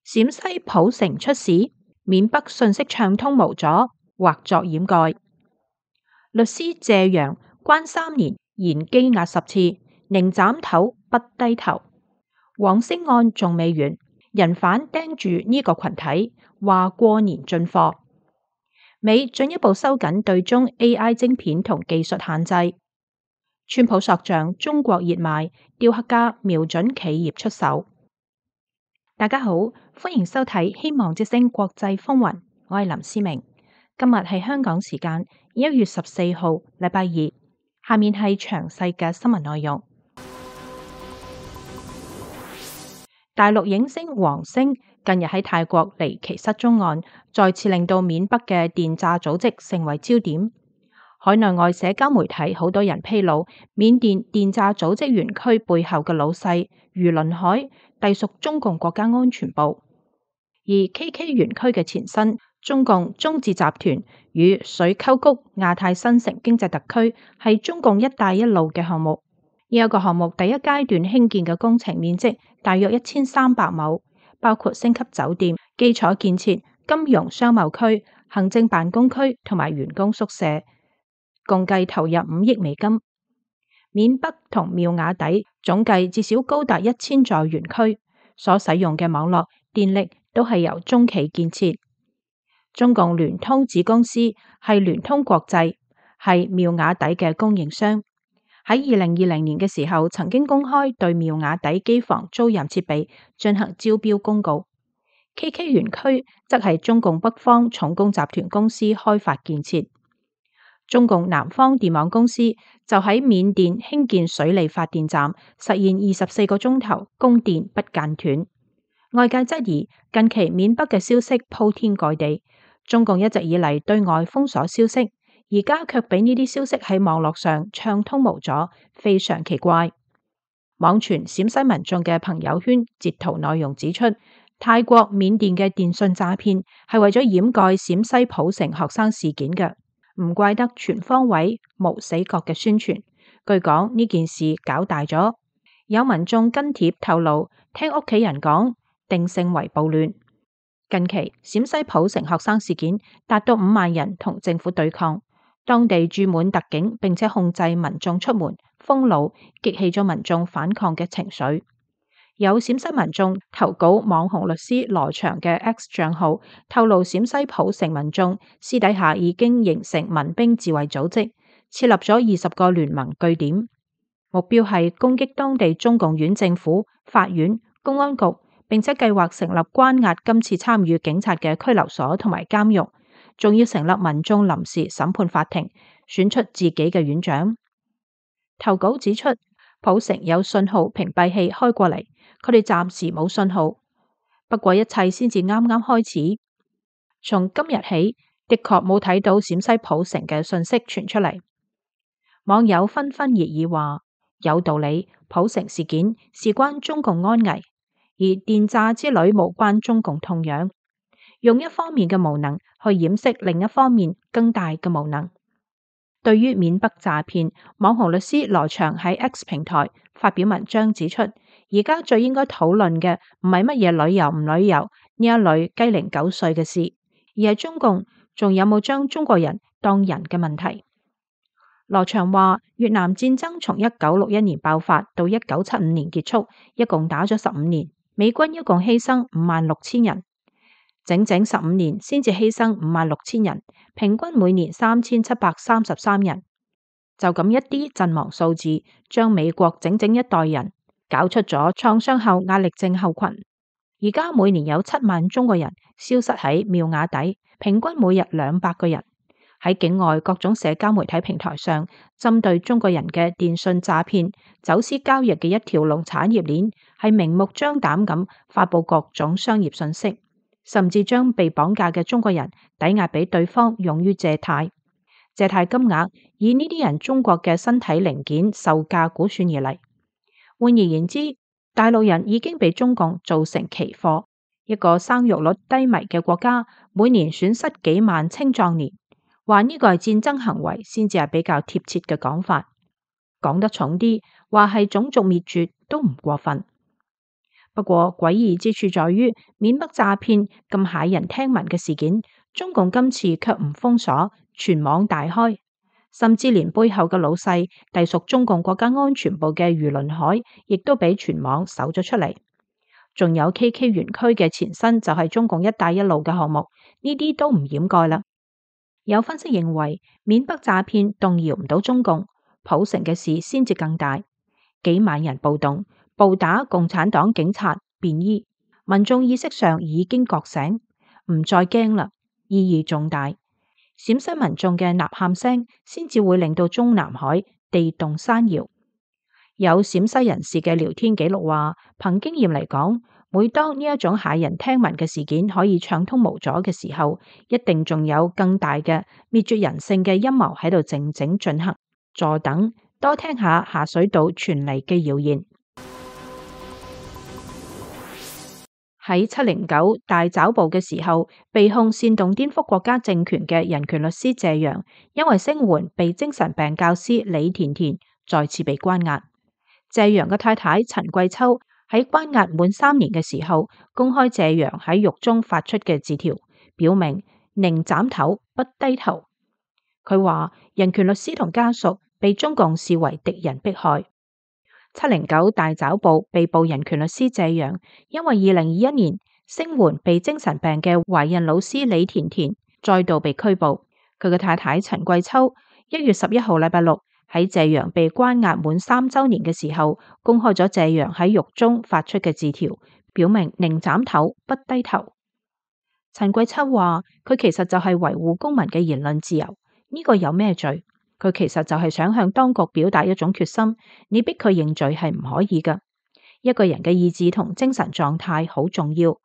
陝西浦城出事，緬北信息暢通無阻，或作掩蓋。律師謝陽關3年，言羈押10次，寧斬頭不低頭。黃星案仲未完，人犯盯住呢個群體，話過年進貨。美進一步收緊對中 AI 晶片同技術限制。川普索漲中國熱賣，雕刻家瞄準企業出手。大家好，歡迎收睇希望之聲國際風雲，我係林思明。今日係香港時間1月14號，禮拜二。下面係詳細嘅新聞內容。大陸影星王星近日喺泰國離奇失蹤案，再次令到緬北嘅電詐組織成為焦點。海內外社交媒體好多人披露，緬甸電詐組織園區背後嘅老細余倫海隸屬中共國家安全部，而 KK 園區嘅前身中共中字集團與水溝谷亞太新城經濟特區係中共一帶一路嘅項目。呢一個項目第一階段興建嘅工程面積大約1300畝，包括升級酒店、基礎建設、金融商貿區、行政辦公區同埋員工宿舍，共計投入5億美金。緬北同妙瓦底總計至少高達1000座園區，所使用嘅網絡、電力都係由中企建設。中共聯通子公司係聯通國際，係妙瓦底嘅供應商。喺2020年嘅時候，曾經公開對妙瓦底機房租賃設備進行招標公告。KK 園區則係中共北方重工集團公司開發建設。中共南方電網公司就喺緬甸興建水利發電站，實現24個鐘頭供電不間斷。外界質疑近期緬北嘅消息鋪天蓋地，中共一直以嚟對外封鎖消息，而家卻俾呢啲消息喺網絡上暢通無阻，非常奇怪。網傳陝西民眾嘅朋友圈截圖內容指出，泰國、緬甸嘅電信詐騙係為咗掩蓋陝西浦城學生事件嘅，唔怪得全方位無死角嘅宣傳。據講呢件事搞大咗，有民眾跟帖透露，聽屋企人講，定性為暴亂。近期陝西浦城學生事件達到5萬人同政府對抗。當地駐滿特警，並且控制民眾出門，封路，激起咗民眾反抗嘅情緒。有陝西民眾投稿網紅律師羅翔嘅 X 賬號，透露陝西浦城民眾私底下已經形成民兵自衛組織，設立咗20個聯盟據點，目標係攻擊當地中共縣政府、法院、公安局，並且計劃成立關押今次參與警察嘅拘留所同埋監獄。仲要成立民眾臨時審判法庭，選出自己嘅院長。投稿指出，浦城有信號屏蔽器開過嚟，佢哋暫時冇信號。不過一切先至啱啱開始。從今日起，的確冇睇到陝西浦城嘅信息傳出嚟。網友紛紛熱議話，有道理，浦城事件事關中共安危，而電詐之旅無關中共痛癢。用一方面嘅無能去掩飾另一方面更大嘅無能。對於緬北詐騙，網紅律師羅翔喺 X 平台發表文章指出，而家最應該討論嘅唔係乜嘢旅遊唔旅遊呢一類雞零狗碎嘅事，而係中共仲有冇將中國人當人嘅問題。羅翔話，越南戰爭從1961年爆發到1975年結束，一共打咗15年，美軍一共犧牲56000人。整整15年先至犧牲56000人，平均每年3733人。就咁一啲陣亡數字，將美國整整一代人搞出咗創傷後壓力症候群。而家每年有7萬中國人消失喺妙瓦底，平均每日200個人。喺境外各種社交媒體平台上，針對中國人嘅電信詐騙、走私交易嘅一條龍產業鏈，係明目張膽咁發佈各種商業信息。甚至將被綁架嘅中國人抵押俾對方用於借貸，借貸金額以呢啲人中國嘅身體零件售價估算而嚟。換而言之，大陸人已經被中共做成期貨。一個生育率低迷嘅國家，每年損失幾萬青壯年，話呢個係戰爭行為，先至係比較貼切嘅講法。講得重啲，話係種族滅絕都唔過分。不過詭異之處在於，緬北詐騙咁駭人聽聞嘅事件，中共今次卻唔封鎖，全網大開，甚至連背後嘅老細隸屬中共國家安全部嘅余倫海，亦都俾全網搜咗出嚟。仲有 KK 園區嘅前身就係中共一帶一路嘅項目，呢啲都唔掩蓋啦。有分析認為，緬北詐騙動搖唔到中共，浦城嘅事先至更大，幾萬人暴動，暴打共產黨警察便衣，民眾意識上已經覺醒，唔再驚啦，意義重大。陝西民眾嘅吶喊聲先至會令到中南海地動山搖。有陝西人士嘅聊天記錄話，憑經驗嚟講，每當呢一種駭人聽聞嘅事件可以暢通無阻嘅時候，一定仲有更大嘅滅絕人性嘅陰謀喺度靜靜進行。坐等多聽下下水道傳嚟嘅謠言。喺709大抓捕嘅時候，被控煽動顛覆國家政權嘅人權律師謝陽，因為聲援被精神病教師李甜甜，再次被關押。謝陽嘅太太陳桂秋喺關押滿3年嘅時候，公開謝陽喺獄中發出嘅字條，表明寧斬頭不低頭。佢話人權律師同家屬被中共視為敵人迫害。709大抓捕被捕人權律師謝陽，因為2021年聲援被精神病嘅懷孕老師李甜甜，再度被拘捕。佢嘅太太陳桂秋1月11號禮拜六喺謝陽被關押滿3週年嘅時候，公開咗謝陽喺獄中發出嘅字條，表明寧斬頭不低頭。陳桂秋話佢其實就係維護公民嘅言論自由。呢個有咩罪？佢其實就係想向當局表達一種決心，你逼佢認罪係唔可以㗎。一個人嘅意志同精神狀態好重要，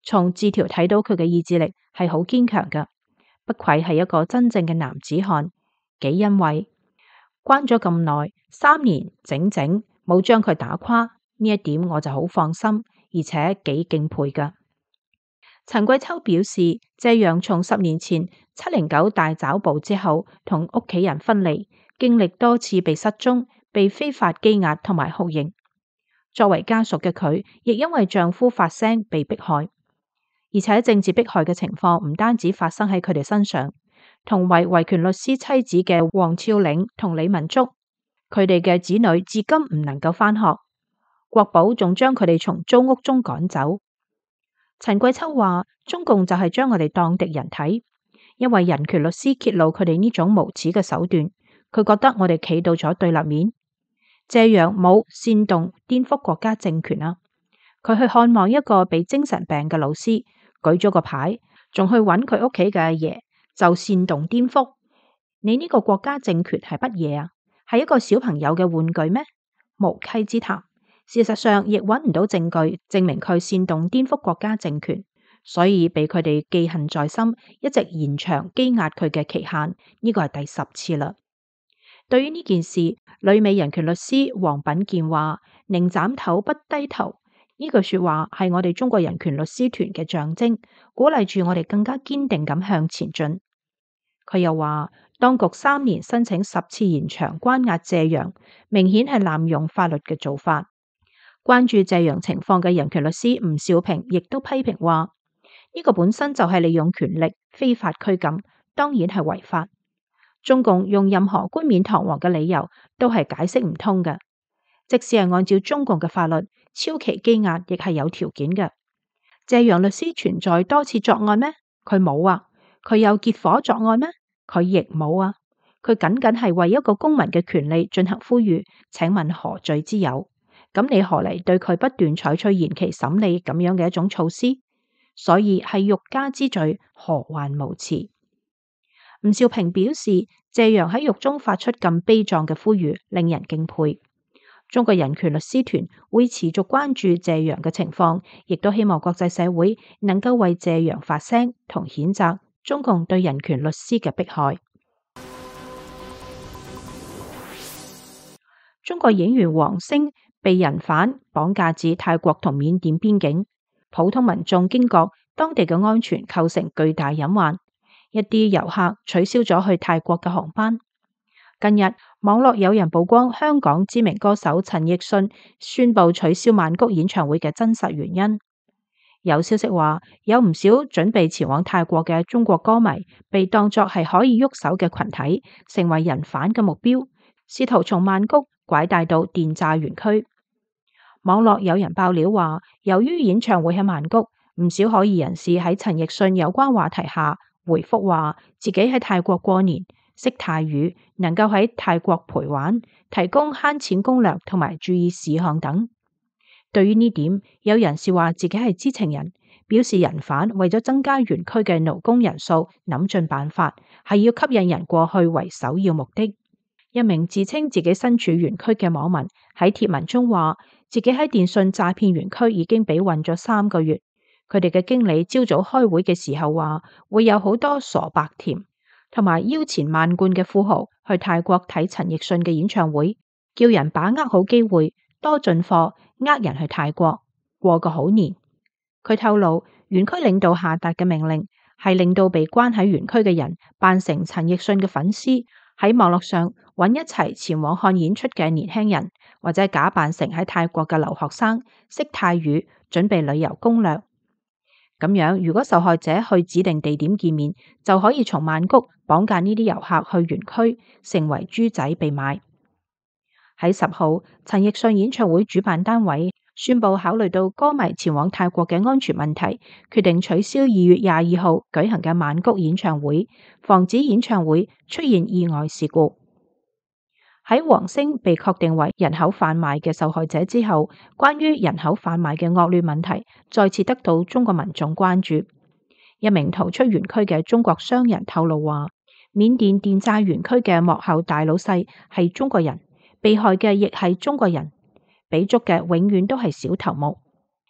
從字條睇到佢嘅意志力係好堅強㗎，不愧係一個真正嘅男子漢，幾欣慰。關咗咁耐3年整整冇將佢打垮，呢一點我就好放心，而且幾敬佩㗎。陳桂秋表示，謝陽從10年前709大抓捕之後，同屋企人分離，經歷多次被失蹤、被非法羈押同埋酷刑。作為家屬嘅佢，亦因為丈夫發聲被迫害，而且政治迫害嘅情況唔單止發生喺佢哋身上，同為維權律師妻子嘅黃峭嶺同李文竹，佢哋嘅子女至今唔能夠返學，國保仲將佢哋從租屋中趕走。陳桂秋話：中共就係將我哋當敵人睇，因為人權律師揭露佢哋呢種無恥嘅手段，佢覺得我哋企到咗對立面。謝陽冇煽動顛覆國家政權啊，佢去看望一個被精神病嘅老師，舉咗個牌，仲去揾佢屋企嘅阿爺，就煽動顛覆。你呢個國家政權係乜嘢啊？係一個小朋友嘅玩具咩？無稽之談。事實上亦揾唔到證據證明佢煽動顛覆國家政權，所以被佢哋記恨在心，一直延長羈押佢嘅期限。呢個係第10次啦。對於呢件事，旅美人權律師黃品健話：寧斬頭不低頭，呢句說話係我哋中國人權律師團嘅象徵，鼓勵住我哋更加堅定咁向前進。佢又話，當局3年申請10次延長關押謝陽，明顯係濫用法律嘅做法。關注謝陽情況嘅人權律師吳少平亦都批評話：呢個本身就係利用權力非法拘禁，當然係違法。中共用任何冠冕堂皇嘅理由都係解釋唔通嘅。即使係按照中共嘅法律，超期羈押亦係有條件嘅。謝陽律師存在多次作案咩？佢冇啊。佢有結夥作案咩？佢亦冇啊。佢僅僅係為一個公民嘅權利進行呼籲，請問何罪之有？咁你何嚟對佢不斷採取延期審理咁樣嘅一種措施？所以係欲加之罪，何患無辭？吳少平表示，謝陽喺獄中發出咁悲壯嘅呼籲，令人敬佩。中國人權律師團會持續關注謝陽嘅情況，亦都希望國際社會能夠為謝陽發聲同譴責中共對人權律師嘅迫害。中國演員王星被人販綁架至泰國同緬甸邊境，普通民眾驚覺當地嘅安全構成巨大隱患，一啲遊客取消咗去泰國嘅航班。近日，網絡有人曝光香港知名歌手陳奕迅宣布取消曼谷演唱會嘅真實原因。有消息話，有唔少準備前往泰國嘅中國歌迷被當作係可以喐手嘅群體，成為人販嘅目標，試圖從曼谷拐帶到電炸園區。網絡有人爆料話，由於演唱會喺曼谷，唔少可疑人士喺陳奕迅有關話題下回覆話自己喺泰國過年，識泰語，能夠喺泰國陪玩，提供慳錢攻略同埋注意事項等。對於呢點，有人士話自己係知情人，表示人販為咗增加園區嘅勞工人數，諗盡辦法，係要吸引人過去為首要目的。一名自稱自己身處園區嘅網民喺貼文中話，自己喺電信詐騙園區已經被困咗3個月。佢哋嘅經理朝早開會嘅時候話，會有好多傻白甜同埋腰纏萬貫嘅富豪去泰國睇陳奕迅嘅演唱會，叫人把握好機會，多進貨，呃人去泰國過個好年。佢透露，園區領導下達嘅命令係令到被關喺園區嘅人扮成陳奕迅嘅粉絲，喺網絡上揾一齊前往看演出嘅年輕人，或者假扮成喺泰國嘅留學生，識泰語，準備旅遊攻略。咁樣，如果受害者去指定地點見面，就可以從曼谷綁架呢啲遊客去園區，成為豬仔被賣。喺10號，陳奕迅演唱會主辦單位宣布考慮到歌迷前往泰國嘅安全問題，決定取消2月22號舉行嘅曼谷演唱會，防止演唱會出現意外事故。喺黃星被確定為人口販賣嘅受害者之後，關於人口販賣嘅惡劣問題再次得到中國民眾關注。一名逃出園區嘅中國商人透露話，緬甸電炸園區嘅幕後大老細係中國人，被害嘅亦係中國人，俾捉嘅永遠都係小頭目。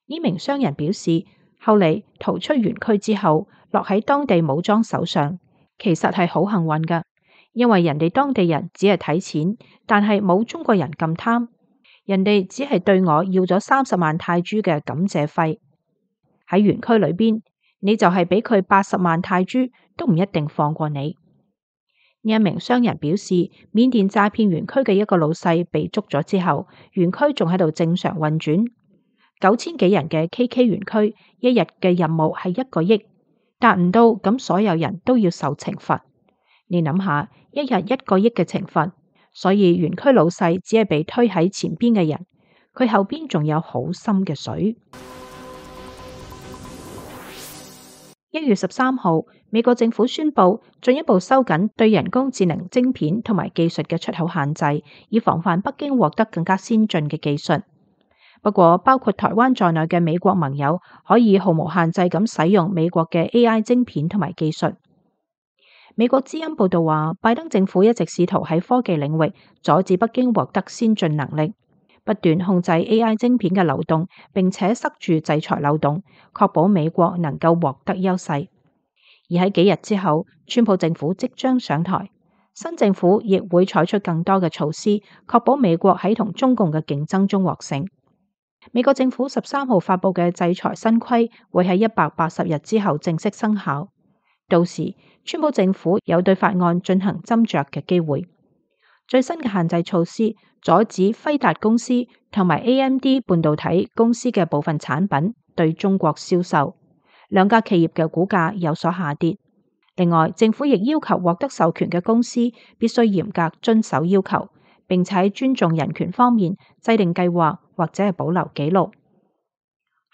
呢名商人表示，後嚟逃出園區之後，落喺當地武裝手上，其實係好幸運㗎。因為人哋當地人只係睇錢，但係冇中國人咁貪。人哋只係對我要咗30萬泰銖嘅感謝費。喺園區裏邊，你就係俾佢80萬泰銖，都唔一定放過你。呢一名商人表示，緬甸詐騙園區嘅一個老細被捉咗之後，園區仲喺度正常運轉。9000幾人嘅 KK 園區，一日嘅任務係1個億，達唔到咁所有人都要受懲罰。你諗下，一日1個億嘅懲罰，所以園區老細只係被推喺前邊嘅人，佢後邊仲有好深嘅水。1月13號，美國政府宣布進一步收緊對人工智能晶片同埋技術嘅出口限制，以防範北京獲得更加先進嘅技術。不過，包括台灣在內嘅美國盟友可以毫無限制咁使用美國嘅 AI 晶片同埋技術。美國之音報道話，拜登政府一直試圖喺科技領域阻止北京獲得先進能力，不斷控制 AI 晶片嘅流動，並且塞住制裁漏洞，確保美國能夠獲得優勢。而喺幾日之後，川普政府即將上台，新政府亦會採取更多嘅措施，確保美國喺同中共嘅競爭中獲勝。美國政府13號發佈嘅制裁新規會喺180日之後正式生效。到時，川普政府有對法案進行斟酌嘅機會。最新嘅限制措施阻止輝達公司同埋 AMD 半導體公司嘅部分產品對中國銷售，兩家企業嘅股價有所下跌。另外，政府亦要求獲得授權嘅公司必須嚴格遵守要求，並且喺尊重人權方面制定計劃或者係保留記錄。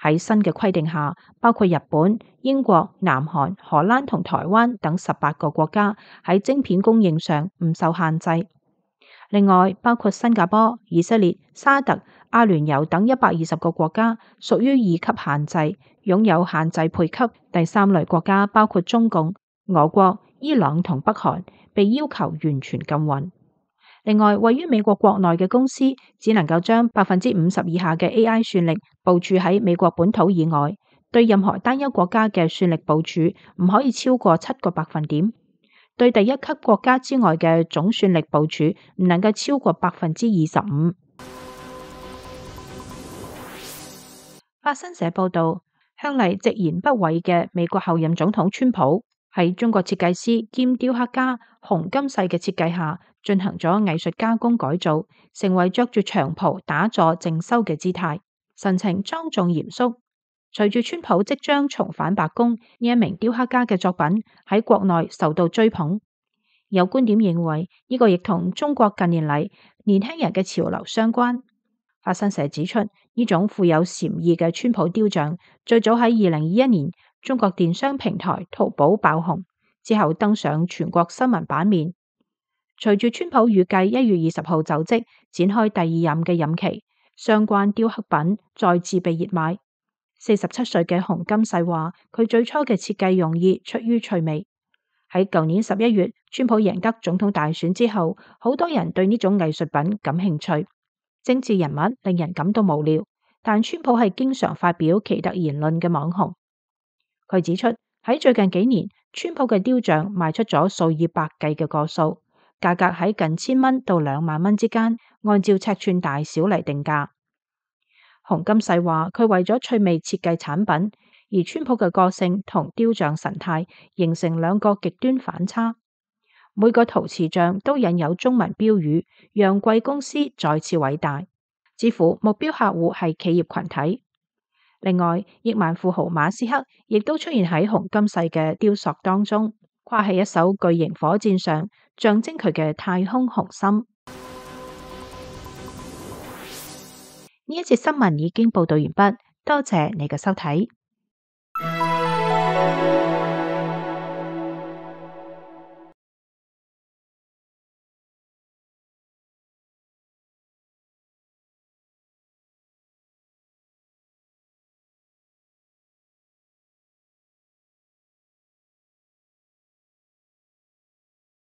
喺新嘅規定下，包括日本、英國、南韓、荷蘭同台灣等18個國家喺晶片供應上唔受限制。另外，包括新加坡、以色列、沙特、阿聯酋等120個國家屬於2級限制，擁有限制配給。第3類國家包括中共、俄國、伊朗同北韓，被要求完全禁運。另外，位於美國國內嘅公司只能夠將50%以下嘅 AI 算力部署喺美國本土以外，對任何單一國家嘅算力部署唔可以超過7個百分點，對第一級國家之外嘅總算力部署唔能夠超過25%。法新社報道，向嚟直言不諱嘅美國後任總統川普喺中國設計師兼雕刻家洪金世嘅設計下，進行咗藝術加工改造，成為着住長袍打坐靜修嘅姿態，神情莊重嚴肅。隨住川普即將重返白宮，呢一名雕刻家嘅作品喺國內受到追捧。有觀點認為，呢個亦同中國近年嚟年輕人嘅潮流相關。法新社指出，呢種富有禪意嘅川普雕像，最早喺2021年中國電商平台淘寶爆紅，之後登上全國新聞版面。隨住川普預計1月20號就職，展開第二任嘅任期，相關雕刻品再次被熱賣。47歲嘅洪金世話，佢最初嘅設計用意出於趣味。喺舊年11月，川普贏得總統大選之後，好多人對呢種藝術品感興趣。政治人物令人感到無聊，但川普係經常發表奇特言論嘅網紅。佢指出，喺最近幾年，川普嘅雕像賣出咗數以百計嘅個數，價格喺近1000蚊到2萬蚊之間，按照尺寸大小嚟定價。洪金世話，佢為咗趣味設計產品，而川普嘅個性同雕像神態形成兩個極端反差。每個陶瓷像都印有中文標語，讓貴公司再次偉大，似乎目標客戶係企業群體。另外，億萬富豪馬斯克亦都出現喺洪金世嘅雕塑當中，跨喺一艘巨型火箭上，象徵佢嘅太空雄心。呢一節新聞已經報道完畢，多謝你嘅收睇。